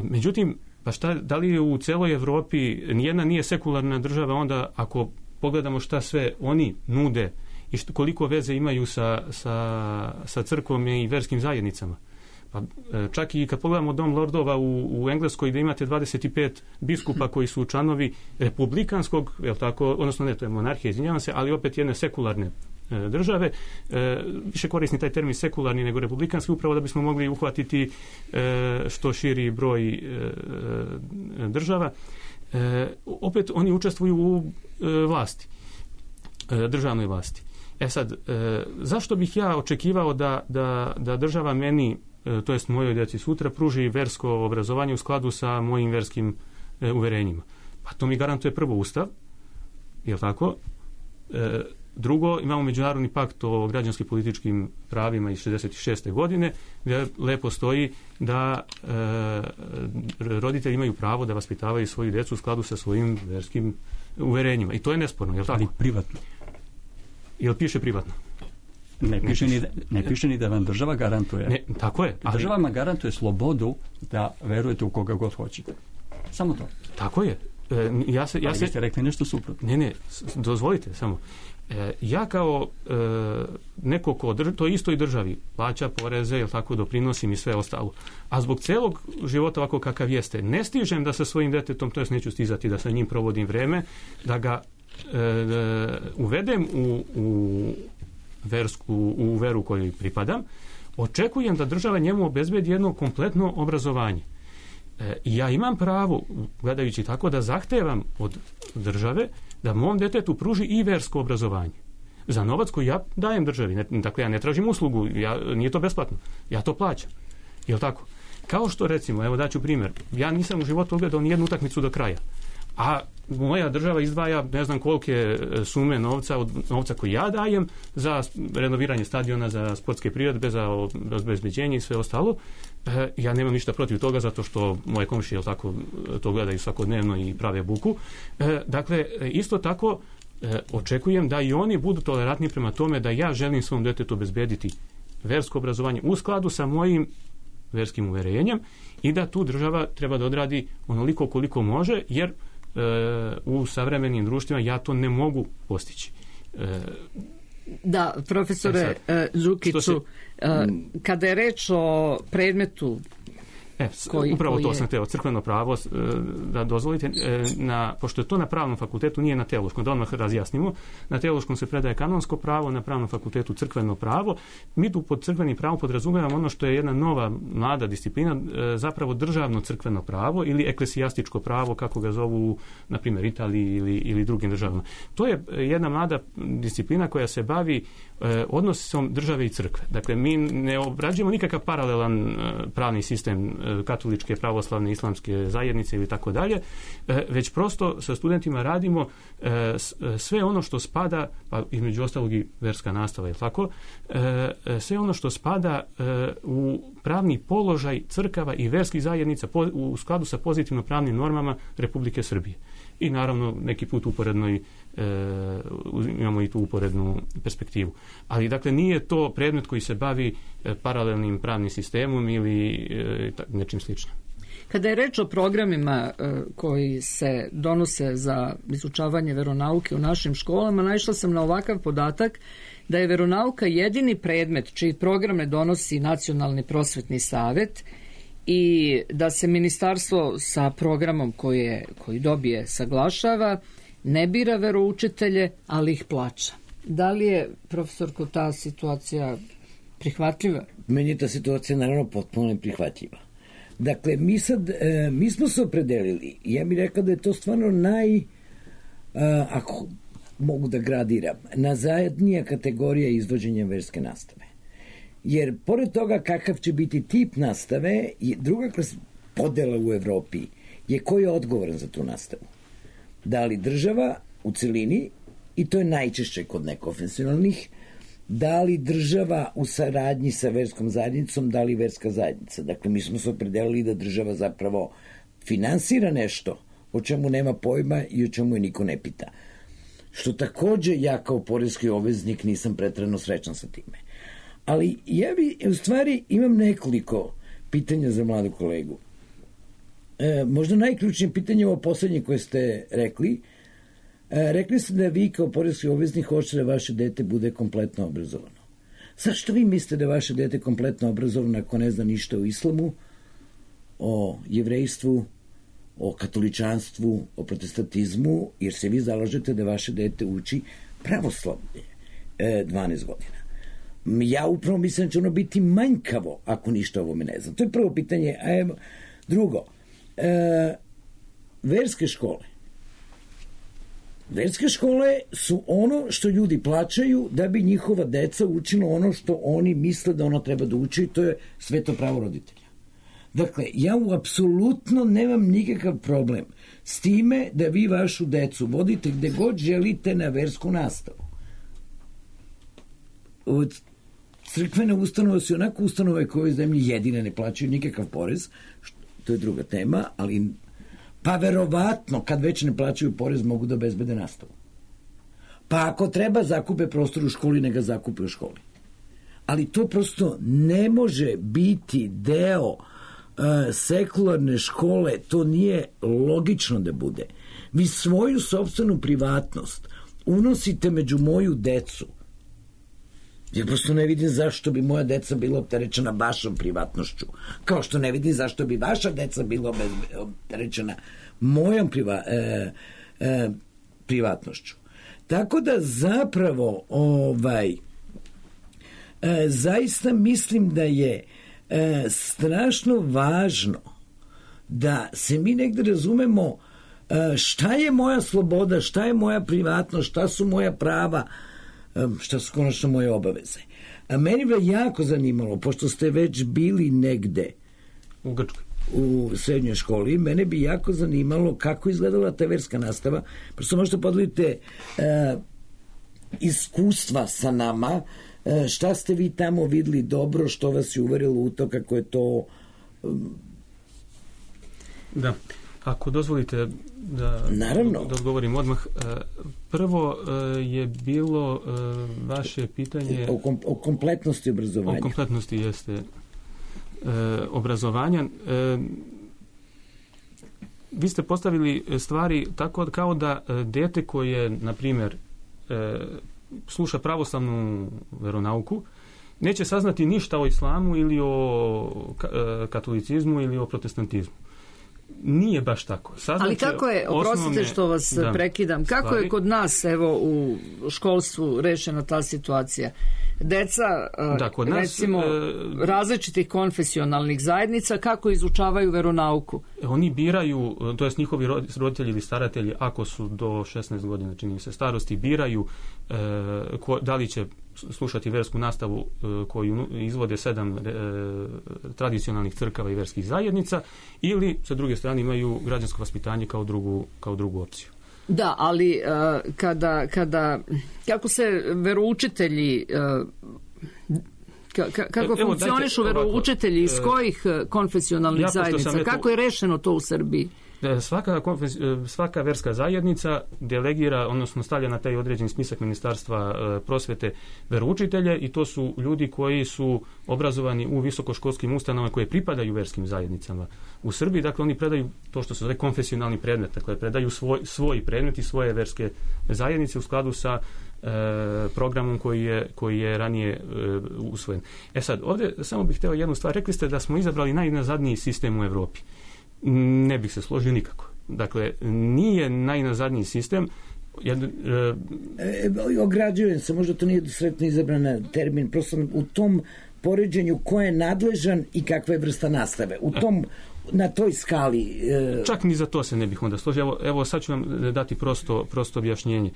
Speaker 5: Međutim, pa da li je u celoj Evropi nijedna nije sekularna država, onda ako pogledamo šta sve oni nude i koliko veze imaju sa crkvom i verskim zajednicama. Pa, čak i kad pogledamo Dom lordova u Engleskoj, gdje imate 25 biskupa koji su članovi republikanskog, jel tako, odnosno ne, to je monarhija, izvinjavam se, ali opet jedne sekularne države, više korisni taj termin sekularni nego republikanski, upravo da bismo mogli uhvatiti što širi broj država. Opet oni učestvuju u vlasti, državnoj vlasti. Sad, zašto bih ja očekivao da država meni, to jest mojoj djeci sutra, pruži versko obrazovanje u skladu sa mojim verskim uverenjima? Pa to mi garantuje prvo Ustav, jel tako? Drugo, imamo Međunarodni pakt o građanskim političkim pravima iz 66. godine, gdje lepo stoji da roditelji imaju pravo da vaspitavaju svoju djecu u skladu sa svojim verskim uverenjima. I to je nesporno, jel tako?
Speaker 4: Ali privatno.
Speaker 5: Jel piše privatno?
Speaker 4: Ne piše ni da vam država garantuje.
Speaker 5: Ne, tako je. Ali
Speaker 4: država vam garantuje slobodu da verujete u koga god hoćete. Samo to.
Speaker 5: Tako je.
Speaker 4: Ali ste rekli nešto suprotno.
Speaker 5: Ne, dozvolite samo. Ja kao neko ko to istoj državi plaća poreze, jel tako, doprinosim i sve ostalo. A zbog celog života ovako kakav jeste, ne stižem da sa svojim detetom, to jest neću stizati da sa njim provodim vreme, da ga uvedem u veru kojoj pripadam, očekujem da država njemu obezbedi jedno kompletno obrazovanje. I ja imam pravo, gledajući tako, da zahtevam od države da mom detetu pruži i versko obrazovanje. Za novac koji ja dajem državi. Dakle, ja ne tražim uslugu, nije to besplatno. Ja to plaćam. Jel tako? Kao što, recimo, evo daću primjer, ja nisam u životu ogledao ni jednu utakmicu do kraja. A moja država izdvaja ne znam kolike sume novca od novca koji ja dajem za renoviranje stadiona, za sportske priredbe, za obezbeđenje i sve ostalo. Ja nemam ništa protiv toga zato što moje komšije tako to gledaju svakodnevno i prave buku. Dakle, isto tako očekujem da i oni budu tolerantni prema tome da ja želim svom detetu obezbediti versko obrazovanje u skladu sa mojim verskim uverenjem i da tu država treba da odradi onoliko koliko može, jer u savremenim društvima ja to ne mogu postići.
Speaker 1: Da, profesore Đukiću, kada je reč o predmetu
Speaker 5: upravo to sam hteo, crkveno pravo, da dozvolite, pošto je to na pravnom fakultetu, nije na teološkom, da odmah razjasnimo, na teološkom se predaje kanonsko pravo, na pravnom fakultetu crkveno pravo. Mi tu pod crkvenim pravom podrazumijevamo ono što je jedna nova, mlada disciplina, zapravo državno crkveno pravo ili eklesijastičko pravo, kako ga zovu, na primjer, Italiji ili drugim državama. To je jedna mlada disciplina koja se bavi odnosom države i crkve. Dakle, mi ne obrađujemo nikakav paralelan pravni sistem katoličke, pravoslavne, islamske zajednice ili tako dalje, već prosto sa studentima radimo sve ono što spada, pa između ostalog i verska nastava, je tako, sve ono što spada u pravni položaj crkava i verskih zajednica u skladu sa pozitivno pravnim normama Republike Srbije. I naravno neki put uporednoj imamo i tu uporednu perspektivu. Ali dakle nije to predmet koji se bavi paralelnim pravnim sistemom ili nečim sličnim.
Speaker 1: Kada je reč o programima koji se donose za izučavanje veronauke u našim školama, naišla sam na ovakav podatak da je veronauka jedini predmet čiji program ne donosi Nacionalni prosvetni savet i da se ministarstvo sa programom koji dobije saglašava, ne bira veroučitelje, ali ih plaća. Da li je, profesorko, ta situacija prihvatljiva?
Speaker 6: Meni je ta situacija naravno potpuno neprihvatljiva. Dakle, mi smo se opredelili, ja bih rekao da je to stvarno ako mogu da gradiram, najzadnija kategorija izvođenja verske nastave. Jer pored toga kakav će biti tip nastave, druga podela u Evropi je ko je odgovoran za tu nastavu. Da li država u celini, i to je najčešće kod nekonfesionalnih, da li država u saradnji sa verskom zajednicom, da li verska zajednica. Dakle, mi smo se opredelili da država zapravo finansira nešto o čemu nema pojma i o čemu je niko ne pita. Što takođe ja kao poreski obveznik nisam preterano srećan sa time. Ali ja u stvari imam nekoliko pitanja za mladu kolegu. Možda najključnije pitanje je ovo poslednje koje ste rekli. Rekli ste da vi kao poreski obveznik hoćete da vaše dete bude kompletno obrazovano. Zašto vi mislite da vaše dete kompletno obrazovano ako ne zna ništa o islamu, o jevrejstvu, o katoličanstvu, o protestantizmu, jer se vi zalažete da vaše dete uči pravoslavlje 12 godina. Ja upravo mislim da će ono biti manjkavo ako ništa o ovome ne znam. To je prvo pitanje. Drugo, verske škole. Verske škole su ono što ljudi plaćaju da bi njihova deca učila ono što oni misle da ono treba da uči, to je sveto pravo roditelja. Dakle, ja apsolutno nemam nikakav problem s time da vi vašu decu vodite gde god želite na versku nastavu. Crkvene ustanove su onako ustanove koje u ovoj zemlji jedine ne plaćaju nikakav porez, to je druga tema, ali pa verovatno kad već ne plaćaju porez mogu da obezbede nastavu. Pa ako treba zakupe prostor u školi, ne ga zakupe u školi. Ali to prosto ne može biti deo sekularne škole, to nije logično da bude. Vi svoju sopstvenu privatnost unosite među moju decu. Ja prosto ne vidim zašto bi moja deca bila opterećena vašom privatnošću. Kao što ne vidim zašto bi vaša deca bila opterećena mojom privatnošću. Tako da zapravo zaista mislim da je strašno važno da se mi negde razumemo šta je moja sloboda, šta je moja privatnost, šta su moja prava, šta su konačno moje obaveze. Meni bi jako zanimalo, pošto ste već bili negde
Speaker 5: u Grčkoj,
Speaker 6: u srednjoj školi, mene bi jako zanimalo kako izgledala ta verska nastava. Prosto možete podelite iskustva sa nama, šta ste vi tamo videli dobro, što vas je uverilo u to, kako je to...
Speaker 5: Da, ako dozvolite da odgovorim odmah. Prvo je bilo vaše pitanje...
Speaker 6: O kompletnosti obrazovanja.
Speaker 5: O kompletnosti jeste obrazovanja. Vi ste postavili stvari tako kao da dete koje, na primjer, sluša pravoslavnu veronauku, neće saznati ništa o islamu ili o katolicizmu ili o protestantizmu. Nije baš tako.
Speaker 1: Ali kako je, oprostite što vas prekidam, kako je kod nas u školstvu rešena ta situacija? Deca, recimo, različitih konfesionalnih zajednica, kako izučavaju veronauku?
Speaker 5: Oni biraju, to jest njihovi roditelji ili staratelji, ako su do 16 godina, čini mi se, starosti, biraju da li će slušati versku nastavu koju izvode 7 tradicionalnih crkava i verskih zajednica, ili sa druge strane imaju građansko vaspitanje kao drugu opciju.
Speaker 1: Da, ali kako se veroučitelji kako funkcionišu veroučitelji iz kojih konfesionalnih zajednica? Kako je rešeno to u Srbiji?
Speaker 5: Svaka verska zajednica delegira, odnosno stavlja na taj određeni spisak Ministarstva prosvete veroučitelje, i to su ljudi koji su obrazovani u visokoškolskim ustanovama koje pripadaju verskim zajednicama u Srbiji. Dakle, oni predaju to što se zove konfesionalni predmet, dakle predaju svoj predmet i svoje verske zajednice u skladu sa programom koji je ranije usvojen. Sad, ovdje samo bih htio jednu stvar. Rekli ste da smo izabrali najnazadniji sistem u Evropi. Ne bih se složio nikako. Dakle, nije najnazadniji sistem.
Speaker 6: Ograđujem se, možda to nije sretno izabran termin, prosto u tom poređenju ko je nadležan i kakva je vrsta nastave. Na toj skali...
Speaker 5: Čak ni za to se ne bih onda složio. Evo sad ću vam dati prosto objašnjenje.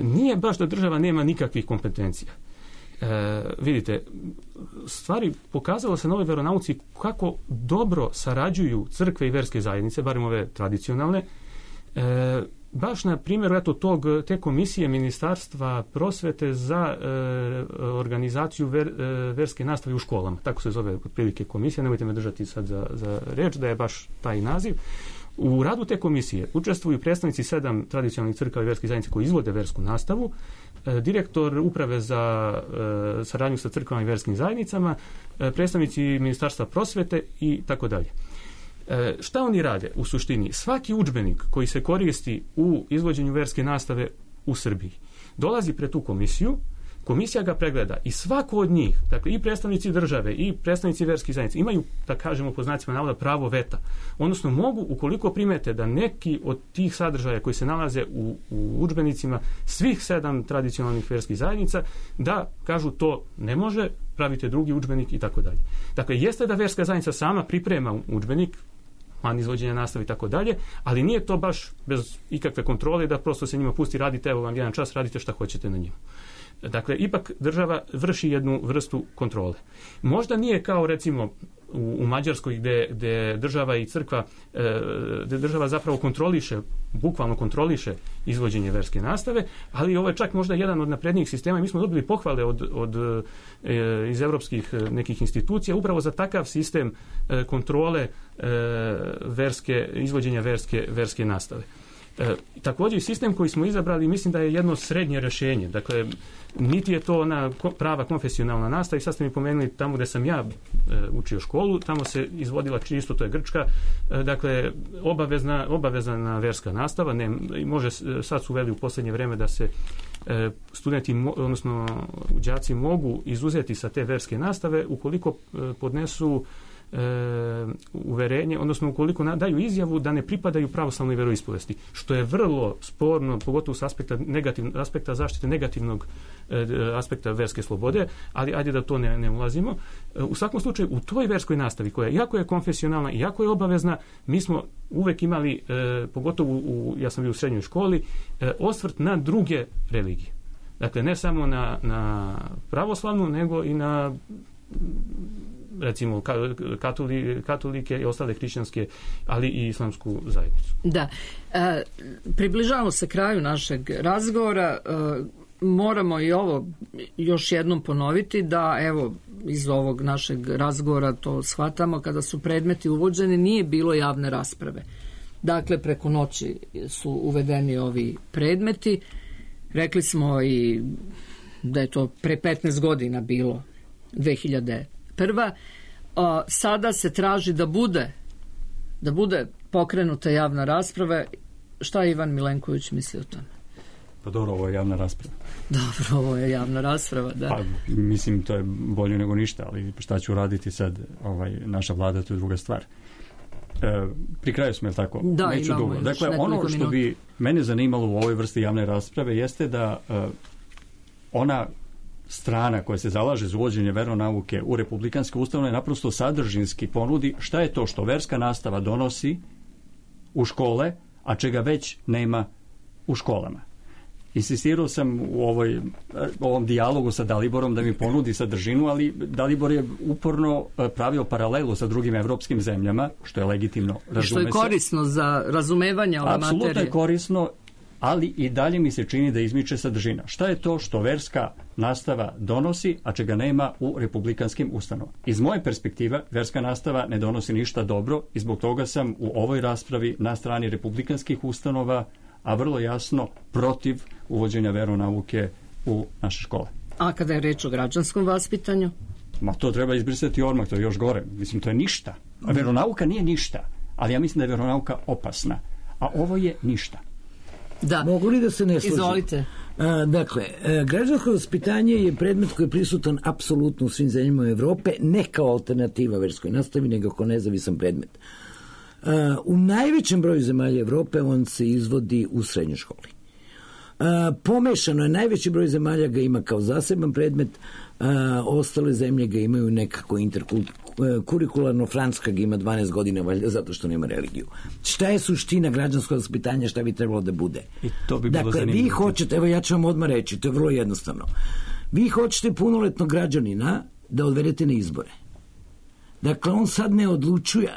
Speaker 5: Nije baš da država nema nikakvih kompetencija. Vidite, stvari pokazalo se na ovoj veronauci kako dobro sarađuju crkve i verske zajednice, barem ove tradicionalne. Baš na primjeru te komisije Ministarstva prosvete za organizaciju verske nastave u školama. Tako se zove otprilike komisija, nemojte me držati sad za reč da je baš taj naziv. U radu te komisije učestvuju predstavnici 7 tradicionalnih crkava i verskih zajednica koji izvode versku nastavu, direktor uprave za saradnju sa crkvama i verskim zajednicama, predstavnici Ministarstva prosvete i tako dalje. Šta oni rade u suštini? Svaki udžbenik koji se koristi u izvođenju verske nastave u Srbiji dolazi pred tu komisiju, Komisija ga pregleda i svako od njih, dakle i predstavnici države i predstavnici verskih zajednica imaju, da kažemo po znacima navoda, pravo veta. Odnosno mogu, ukoliko primete da neki od tih sadržaja koji se nalaze u udžbenicima svih 7 tradicionalnih verskih zajednica, da kažu to ne može, pravite drugi udžbenik i tako dalje. Dakle, jeste da verska zajednica sama priprema udžbenik, plan izvođenja nastave i tako dalje, ali nije to baš bez ikakve kontrole da prosto se njima pusti, radite, evo vam jedan čas, radite šta hoćete na njima. Dakle, ipak država vrši jednu vrstu kontrole. Možda nije kao recimo u Mađarskoj gde država i crkva, gde država zapravo bukvalno kontroliše izvođenje verske nastave, ali ovo je čak možda jedan od naprednijih sistema i mi smo dobili pohvale iz evropskih nekih institucija upravo za takav sistem kontrole izvođenja verske nastave. Također sistem koji smo izabrali mislim da je jedno srednje rješenje. Dakle, niti je to ona prava konfesionalna nastava i sad ste mi pomenuli tamo gde sam ja učio školu, tamo se izvodila čisto, to je grčka, dakle obavezna verska nastava, sad su uveli u posljednje vreme da se studenti, odnosno đaci mogu izuzeti sa te verske nastave ukoliko podnesu uverenje, odnosno ukoliko daju izjavu da ne pripadaju pravoslavnoj veroispovesti, što je vrlo sporno, pogotovo s aspekta zaštite negativnog aspekta verske slobode, ali ajde da to ne ulazimo. U svakom slučaju, u toj verskoj nastavi, koja iako je konfesionalna, iako je obavezna, mi smo uvek imali, pogotovo ja sam bio u srednjoj školi, osvrt na druge religije. Dakle, ne samo na pravoslavnu, nego i na recimo katolike i ostale hrišćanske, ali i islamsku zajednicu.
Speaker 1: Da. Približavamo se kraju našeg razgovora. Moramo i ovo još jednom ponoviti da evo iz ovog našeg razgovora to shvatamo, kada su predmeti uvođeni nije bilo javne rasprave. Dakle, preko noći su uvedeni ovi predmeti. Rekli smo i da je to pre 15 godina bilo, 2001. Sada se traži da bude pokrenuta javna rasprava. Šta Ivan Milenković misli o tome?
Speaker 4: Pa dobro, ovo je javna rasprava.
Speaker 1: Dobro, ovo je javna rasprava, da.
Speaker 4: Pa, mislim, to je bolje nego ništa, ali šta ću raditi sad, naša vlada, to je druga stvar. Pri kraju smo, je li tako?
Speaker 1: Da,
Speaker 4: neću dugo. Dakle, ono što bi mene zanimalo u ovoj vrsti javne rasprave jeste da ona strana koja se zalaže za uvođenje veronauke u republikanske ustanove naprosto sadržinski ponudi šta je to što verska nastava donosi u škole, a čega već nema u školama. Insistirao sam u ovom dijalogu sa Daliborom da mi ponudi sadržinu, ali Dalibor je uporno pravio paralelu sa drugim evropskim zemljama, što je legitimno, razume se.
Speaker 1: Što je korisno za razumevanje ove materije.
Speaker 4: Apsolutno je korisno, ali i dalje mi se čini da izmiče sadržina. Šta je to što verska nastava donosi, a čega nema u republikanskim ustanovama? Iz moje perspektive, verska nastava ne donosi ništa dobro i zbog toga sam u ovoj raspravi na strani republikanskih ustanova, a vrlo jasno protiv uvođenja veronauke u naše škole.
Speaker 1: A kada je reč o građanskom vaspitanju?
Speaker 4: Ma to treba izbrisati odmah, to je još gore. Mislim, to je ništa. A veronauka nije ništa, ali ja mislim da je veronauka opasna. A ovo je ništa.
Speaker 6: Da. Mogu li da se ne složim?
Speaker 1: Izvolite.
Speaker 6: Dakle, građansko vaspitanje je predmet koji je prisutan apsolutno u svim zemljama Evrope, ne kao alternativa verskoj nastavi, nego kao nezavisan predmet. U najvećem broju zemalja Evrope on se izvodi u srednjoj školi. Pomešano je, najveći broj zemalja ga ima kao zaseban predmet, ostale zemlje ga imaju nekako interkurikularno, Francuska ga ima 12 godina valjda zato što nema religiju. Šta je suština građanskog vaspitanja, šta bi trebalo da bude?
Speaker 4: I to bi bilo
Speaker 6: dakle, vi hoćete, evo ja ću vam odmah reći, to je vrlo jednostavno. Vi hoćete punoletnog građanina da odvedete na izbore. Dakle, on sad ne odlučuje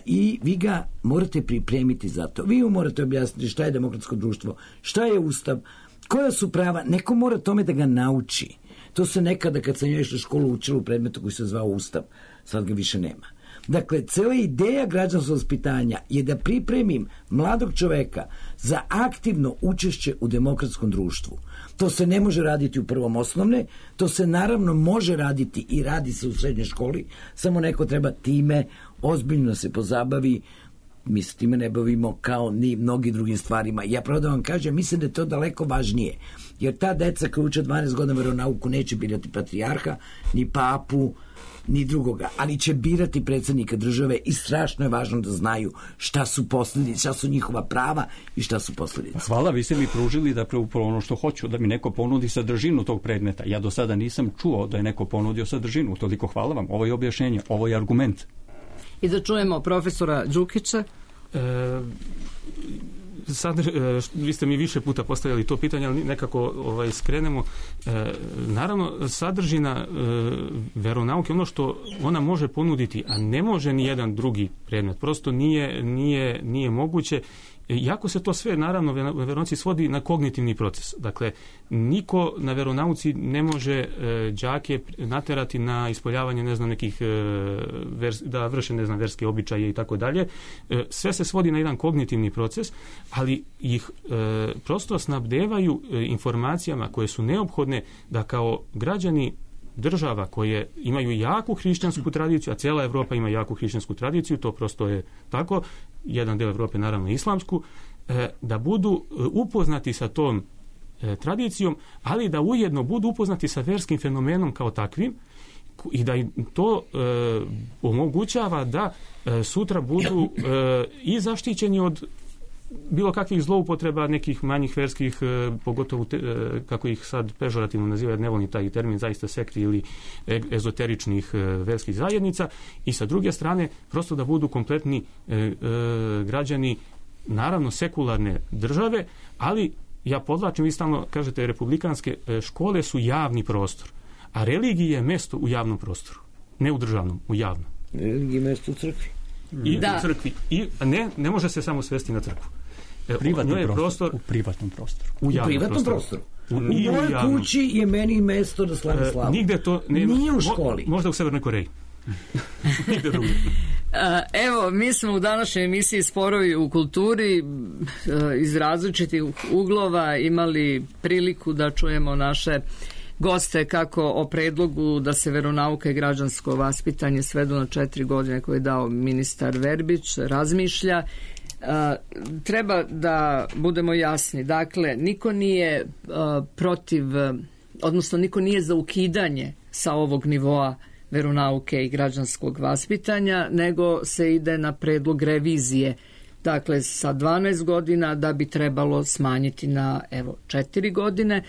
Speaker 6: i vi ga morate pripremiti za to. Vi mu morate objasniti šta je demokratsko društvo, šta je ustav, koja su prava. Neko mora tome da ga nauči. To se nekada kad sam ja išla u školu učila u predmetu koji se zvao ustav. Sad ga više nema. Dakle, cijela ideja građanskog vaspitanja je da pripremim mladog čoveka za aktivno učešće u demokratskom društvu. To se ne može raditi u prvom osnovne, to se naravno može raditi i radi se u srednjoj školi, samo neko treba time ozbiljno se pozabavi mi se time ne bavimo kao ni mnogi drugim stvarima. Ja pravo da vam kažem, mislim da je to daleko važnije, jer ta deca koja uče 12 godina veronauku neće birati patrijarha, ni papu, ni drugoga, ali će birati predsjednika države i strašno je važno da znaju šta su posljedice, šta su njihova prava i šta su posljedice.
Speaker 4: Hvala, vi ste mi pružili da upravo ono što hoću, da mi neko ponudi sadržinu tog predmeta. Ja do sada nisam čuo da je neko ponudio sadržinu, toliko hvala vam. Ovo je objašnjenje, ovo je argument.
Speaker 1: I da čujemo profesora Đukića.
Speaker 5: Vi ste mi više puta postavljali to pitanje, ali nekako skrenemo. Naravno, sadržina veronauke, ono što ona može ponuditi, a ne može ni jedan drugi predmet, prosto nije moguće. Iako se to sve, naravno, veronauci svodi na kognitivni proces. Dakle, niko na veronauci ne može đake naterati na ispoljavanje, nekih, da vrše, verske običaje i tako dalje. Sve se svodi na jedan kognitivni proces, ali ih prosto snabdevaju informacijama koje su neophodne da kao građani država koje imaju jaku hrišćansku tradiciju, a cijela Evropa ima jaku hrišćansku tradiciju, to prosto je tako, jedan del Evrope naravno islamsku, da budu upoznati sa tom tradicijom, ali da ujedno budu upoznati sa verskim fenomenom kao takvim i da im to omogućava da sutra budu i zaštićeni od bilo kakvih zloupotreba nekih manjih verskih, pogotovo kako ih sad pežorativno nazivaju, jer ne volim taj termin, zaista sekti ili ezoteričnih verskih zajednica, i sa druge strane prosto da budu kompletni građani, naravno sekularne države, ali ja podlačim, vi stalno kažete republikanske škole su javni prostor, a religija je mesto u javnom prostoru, ne u državnom, u javnom.
Speaker 6: Religija je mesto u crkvi.
Speaker 5: I u crkvi. I ne može se samo svesti na crkvu.
Speaker 4: Prostor, u privatnom prostoru.
Speaker 6: U privatnom prostoru. U mojoj kući je meni mesto da slavim slavu.
Speaker 5: Nigde to nema.
Speaker 6: Nije u školi.
Speaker 5: Možda u Severnoj Koreji. Nigde drugo.
Speaker 1: Evo, mi smo u današnjoj emisiji Sporovi u kulturi iz različitih uglova imali priliku da čujemo naše goste kako o predlogu da se veronauka i građansko vaspitanje svedu na 4 godine koje je dao ministar Verbić razmišlja. Treba da budemo jasni, dakle niko nije protiv, odnosno niko nije za ukidanje sa ovog nivoa veronauke i građanskog vaspitanja, nego se ide na predlog revizije, dakle sa 12 godina da bi trebalo smanjiti na 4 godine.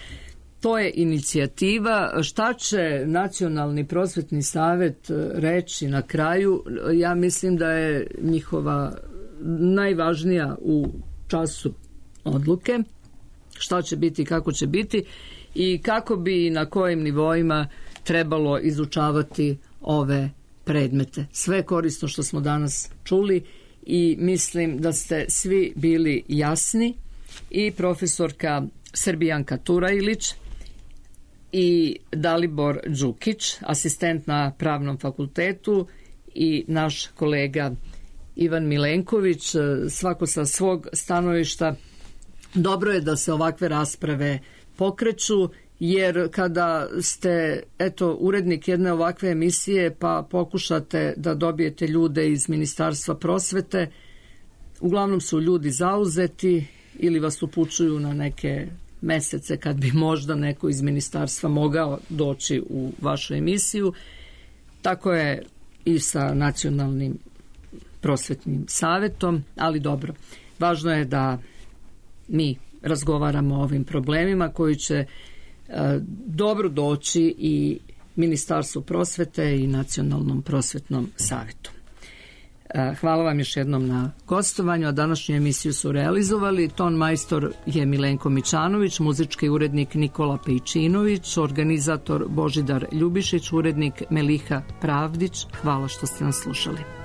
Speaker 1: To je inicijativa. Šta će Nacionalni prosvetni savet reći na kraju? Ja mislim da je njihova najvažnija u času odluke. Šta će biti, kako će biti i kako bi i na kojim nivoima trebalo izučavati ove predmete. Sve korisno što smo danas čuli i mislim da ste svi bili jasni, i profesorka Srbijanka Turajlić i Dalibor Đukić, asistent na Pravnom fakultetu, i naš kolega Ivan Milenković, svako sa svog stanovišta. Dobro je da se ovakve rasprave pokreću, jer kada ste urednik jedne ovakve emisije pa pokušate da dobijete ljude iz Ministarstva prosvete, uglavnom su ljudi zauzeti ili vas upućuju na neke mesece kad bi možda neko iz ministarstva mogao doći u vašu emisiju. Tako je i sa Nacionalnim prosvetnim savetom, ali dobro. Važno je da mi razgovaramo o ovim problemima koji će dobro doći i Ministarstvu prosvete i Nacionalnom prosvetnom savetu. Hvala vam još jednom na gostovanju, a današnju emisiju su realizovali ton majstor je Milenko Mićanović, muzički urednik Nikola Pejčinović, organizator Božidar Ljubišić, urednik Meliha Pravdić. Hvala što ste nas slušali.